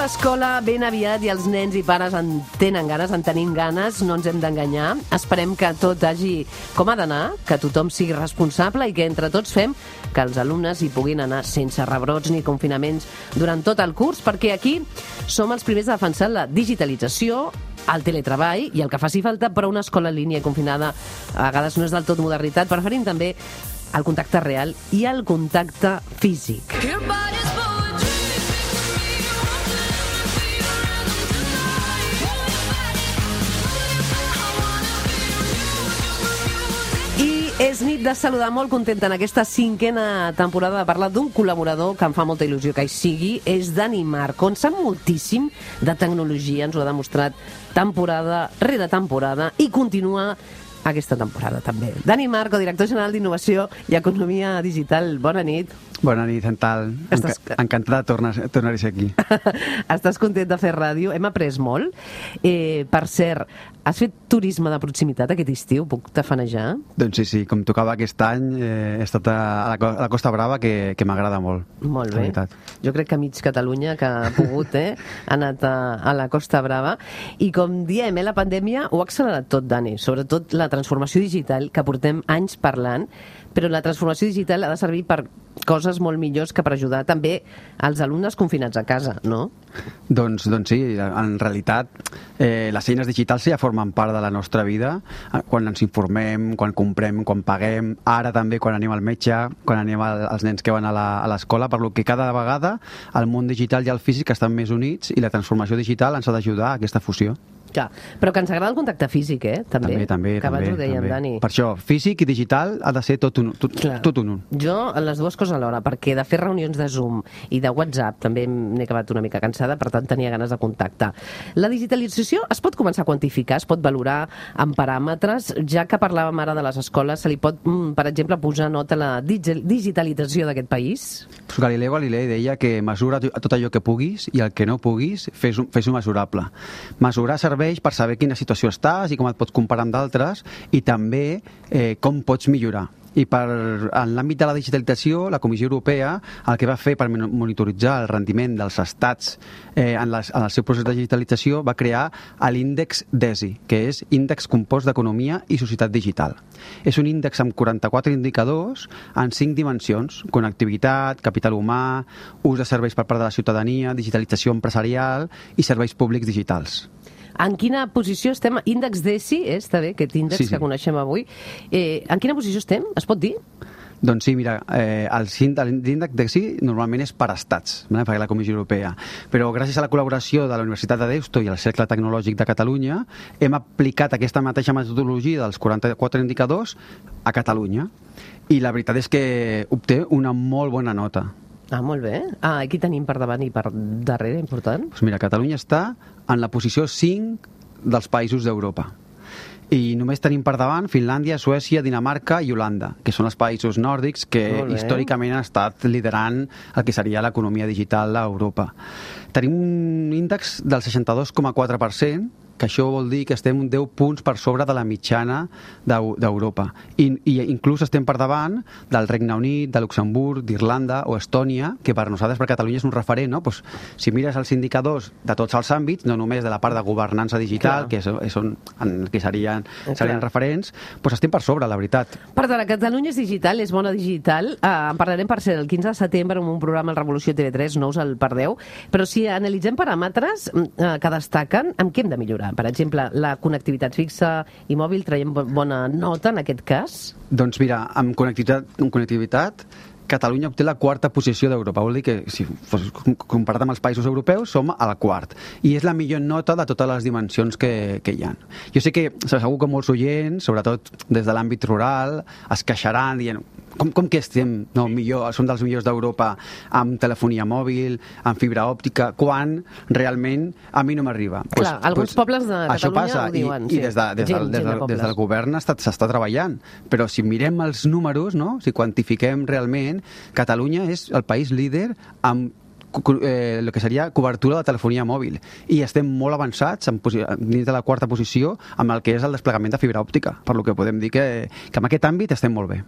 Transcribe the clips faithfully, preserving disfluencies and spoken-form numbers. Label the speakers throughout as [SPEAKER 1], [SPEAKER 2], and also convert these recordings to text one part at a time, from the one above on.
[SPEAKER 1] l'escola ben aviat i els nens i pares en tenen ganes, en tenim ganes, no ens hem d'enganyar. Esperem que tot hagi com ha d'anar, que tothom sigui responsable i que entre tots fem que els alumnes hi puguin anar sense rebrots ni confinaments durant tot el curs, perquè aquí som els primers a defensar la digitalització, el teletreball i el que faci falta, però una escola en línia i confinada a vegades no és del tot modernitat. Preferim també el contacte real i el contacte físic. És nit de saludar, molt contenta en aquesta cinquena temporada de parlar d'un col·laborador que em fa molta il·lusió que hi sigui, és Dani Marco, en sap moltíssim de tecnologia, ens ho ha demostrat temporada rere temporada i continua aquesta temporada també. Dani Marco, director general d'Innovació i Economia Digital, bona nit.
[SPEAKER 2] Bona nit, Santal. Estàs... Encantada de tornar, tornar a ser aquí.
[SPEAKER 1] Estàs content de fer ràdio? Hem après molt. Eh, per cert, has fet turisme de proximitat aquest estiu? Puc tafanejar?
[SPEAKER 2] Doncs sí, sí. Com tocava aquest any, eh, he estat a la, a la Costa Brava, que, que m'agrada molt.
[SPEAKER 1] Molt bé. Jo crec que mig Catalunya que ha pogut, eh, ha anat a, a la Costa Brava. I com diem, eh, la pandèmia ho ha accelerat tot, Dani. Sobretot la transformació digital, que portem anys parlant, però la transformació digital ha de servir per coses molt millors que per ajudar també als alumnes confinats a casa, no?
[SPEAKER 2] Doncs, doncs sí, en realitat eh, les eines digitals ja formen part de la nostra vida, quan ens informem, quan comprem, quan paguem, ara també quan anem al metge, quan anem als nens que van a l'escola, per lo que cada vegada el món digital i el físic estan més units i la transformació digital ens ha d'ajudar a aquesta fusió.
[SPEAKER 1] Clar, però que ens agrada el contacte físic, eh? També,
[SPEAKER 2] també, també.
[SPEAKER 1] Que abans
[SPEAKER 2] també,
[SPEAKER 1] ho dèiem,
[SPEAKER 2] també.
[SPEAKER 1] Dani.
[SPEAKER 2] Per això, físic i digital ha de ser tot un, tot, tot un un.
[SPEAKER 1] Jo, les dues coses alhora, perquè de fer reunions de Zoom i de WhatsApp també m'he acabat una mica cansada, per tant tenia ganes de contacte. La digitalització es pot començar a quantificar, es pot valorar amb paràmetres, ja que parlàvem ara de les escoles, se li pot, per exemple, posar nota a la digitalització d'aquest país?
[SPEAKER 2] Pues Galileo Galilei deia que mesura tot allò que puguis i el que no puguis, fes-ho fes mesurable. Mesurar serveix per saber quina situació estàs i com et pots comparar amb d'altres i també eh, com pots millorar. I per, en l'àmbit de la digitalització, la Comissió Europea el que va fer per monitoritzar el rendiment dels estats eh, en, les, en el seu procés de digitalització va crear l'índex D E S I, que és Índex Compost d'Economia i Societat Digital. És un índex amb quaranta-quatre indicadors en cinc dimensions: connectivitat, capital humà, ús de serveis per part de la ciutadania, digitalització empresarial i serveis públics digitals.
[SPEAKER 1] En quina posició estem? Índex D E S I, eh? Està bé, aquest índex sí, sí. que coneixem avui. Eh, en quina posició estem? Es pot dir?
[SPEAKER 2] Doncs sí, mira, eh, l'índex D E S I normalment és per estats, eh, per la Comissió Europea, però gràcies a la col·laboració de la Universitat de Deusto i el Cercle Tecnològic de Catalunya hem aplicat aquesta mateixa metodologia dels quaranta-quatre indicadors a Catalunya i la veritat és que obté una molt bona nota.
[SPEAKER 1] Ah, molt bé. Ah, aquí tenim per davant i per darrere, important.
[SPEAKER 2] Doncs mira, Catalunya està en la posició cinc dels països d'Europa. I només tenim per davant Finlàndia, Suècia, Dinamarca i Holanda, que són els països nòrdics que històricament han estat liderant el que seria l'economia digital a Europa. Tenim un índex del seixanta-dos coma quatre per cent, que això vol dir que estem deu punts per sobre de la mitjana d'Europa. I, I inclús estem per davant del Regne Unit, de Luxemburg, d'Irlanda o Estònia, que per nosaltres, per Catalunya, és un referent, no? Pues, si mires els indicadors de tots els àmbits, no només de la part de governança digital, Clar. que és, és on, en, que serien, serien referents, pues estem per sobre, la veritat.
[SPEAKER 1] Per tant, Catalunya és digital, és bona digital. Uh, en parlarem, per ser el quinze de setembre, en un programa al Revolució T V tres, no us el perdeu. Però si analitzem paràmetres uh, que destaquen, amb què hem de millorar? Per exemple, la connectivitat fixa i mòbil, traiem bona nota en aquest cas?
[SPEAKER 2] Doncs mira, amb connectivitat, amb connectivitat Catalunya obté la quarta posició d'Europa. Vol dir que, si fos comparat amb els països europeus, som al quart. I és la millor nota de totes les dimensions que, que hi ha. Jo sé que segur que molts oients, sobretot des de l'àmbit rural, es queixaran dient com, com que estem no, millor, som dels millors d'Europa amb telefonia mòbil, amb fibra òptica, quan realment a mi no m'arriba.
[SPEAKER 1] Clar, pues, alguns pues, pobles de Catalunya
[SPEAKER 2] passa,
[SPEAKER 1] ho diuen.
[SPEAKER 2] I, sí. i des, de, des, gent, del, des, del, des del govern s'està treballant. Però si mirem els números, no? Si quantifiquem realment, Catalunya és el país líder amb eh, el que seria cobertura de telefonia mòbil, i estem molt avançats en dins de la quarta posició amb el que és el desplegament de fibra òptica, per lo que podem dir que, que en aquest àmbit estem molt bé.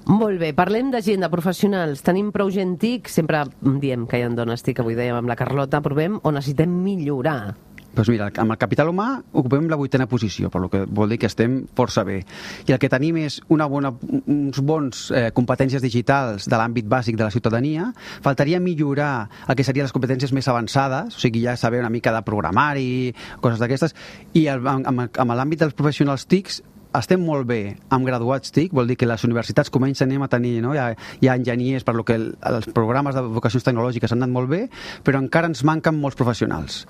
[SPEAKER 1] Molt bé, parlem de gent, de professionals. Tenim prou gent TIC, sempre diem que hi ha dones TIC, avui dèiem amb la Carlota, provem on necessitem millorar.
[SPEAKER 2] Doncs mira, amb el capital humà ocupem la vuitena posició, per lo que vol dir que estem força bé. I el que tenim és una bona, uns bons eh, competències digitals de l'àmbit bàsic de la ciutadania. Faltaria millorar el que serien les competències més avançades, o sigui, ja saber una mica de programari, coses d'aquestes, i el, amb, amb, amb l'àmbit dels professionals TICs estem molt bé amb graduats TIC, vol dir que les universitats comencen a tenir, no? hi, ha, hi ha enginyers, per lo que el, els programes de vocacions tecnològiques han anat molt bé, però encara ens manquen molts professionals.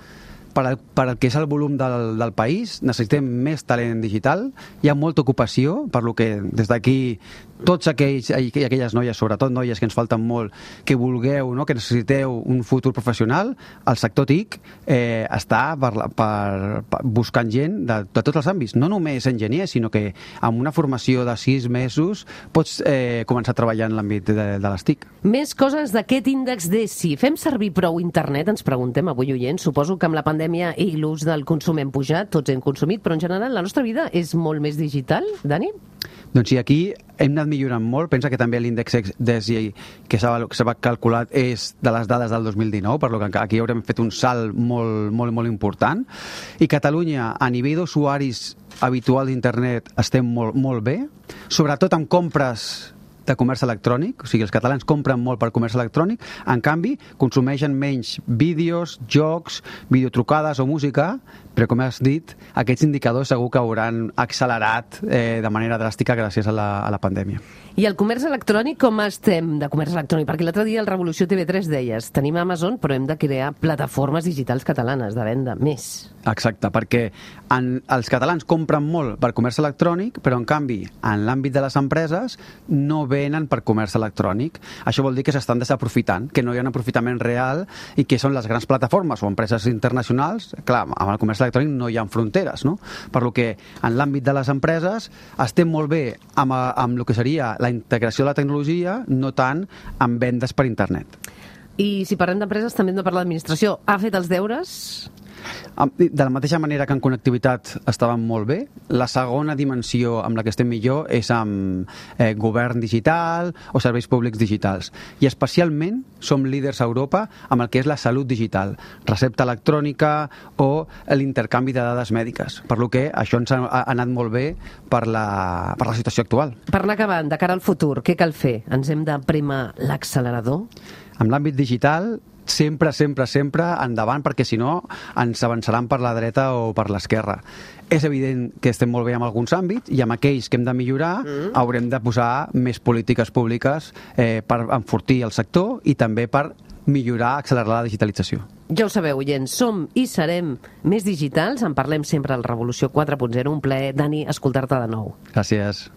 [SPEAKER 2] Per al, per al que és el volum del, del país, necessitem més talent digital, hi ha molta ocupació, per lo que des d'aquí tots aquells i aquelles noies, sobretot noies que ens falten molt, que vulgueu, no? que necessiteu un futur professional, el sector TIC eh, està per, per, per buscant gent de, de tots els àmbits, no només enginyers, sinó que amb una formació de sis mesos pots eh, començar a treballar en l'àmbit de, de les TIC.
[SPEAKER 1] Més coses d'aquest índex D E S I. Fem servir prou internet, ens preguntem avui, oients. Suposo que amb la pandèmia i l'ús del consum hem pujat, tots hem consumit, però en general la nostra vida és molt més digital, Dani?
[SPEAKER 2] Doncs sí, aquí hem anat millorant molt. Pensa que també l'índex D E S I que s'ha calculat és de les dades del dos mil dinou, per lo que aquí haurem fet un salt molt, molt, molt important. I Catalunya, a nivell d'usuaris habitual d'internet, estem molt, molt bé, sobretot amb compres de comerç electrònic, o sigui, els catalans compren molt per comerç electrònic, en canvi, consumeixen menys vídeos, jocs, videotrucades o música, però com has dit, aquests indicadors segur que hauran accelerat eh, de manera dràstica gràcies a la, a la pandèmia.
[SPEAKER 1] I el comerç electrònic, com estem de comerç electrònic? Perquè l'altre dia al Revolució T V tres deies, tenim Amazon, però hem de crear plataformes digitals catalanes de venda més.
[SPEAKER 2] Exacte, perquè en, els catalans compren molt per comerç electrònic, però en canvi, en l'àmbit de les empreses, no venen per comerç electrònic. Això vol dir que s'estan desaprofitant, que no hi ha un aprofitament real i que són les grans plataformes o empreses internacionals. Clar, amb el comerç electrònic no hi ha fronteres, no? Per lo que en l'àmbit de les empreses estem molt bé amb, amb el que seria la integració de la tecnologia, no tant amb vendes per internet.
[SPEAKER 1] I si parlem d'empreses, també hem de parlar d'administració. Ha fet els deures?
[SPEAKER 2] De la mateixa manera que en connectivitat estàvem molt bé, la segona dimensió amb la que estem millor és amb eh, govern digital o serveis públics digitals. I especialment som líders a Europa amb el que és la salut digital, recepta electrònica o l'intercanvi de dades mèdiques. Per lo que això ens ha anat molt bé per la, per la situació actual.
[SPEAKER 1] Per anar acabant, de cara al futur, què cal fer? Ens hem de prémer l'accelerador?
[SPEAKER 2] En l'àmbit digital, sempre, sempre, sempre endavant, perquè si no ens avançaran per la dreta o per l'esquerra. És evident que estem molt bé en alguns àmbits i amb aquells que hem de millorar mm. haurem de posar més polítiques públiques eh, per enfortir el sector i també per millorar, accelerar la digitalització.
[SPEAKER 1] Ja ho sabeu, oients, som i serem més digitals. En parlem sempre al Revolució quatre punt zero. Un plaer, Dani, escoltar-te de nou.
[SPEAKER 2] Gràcies.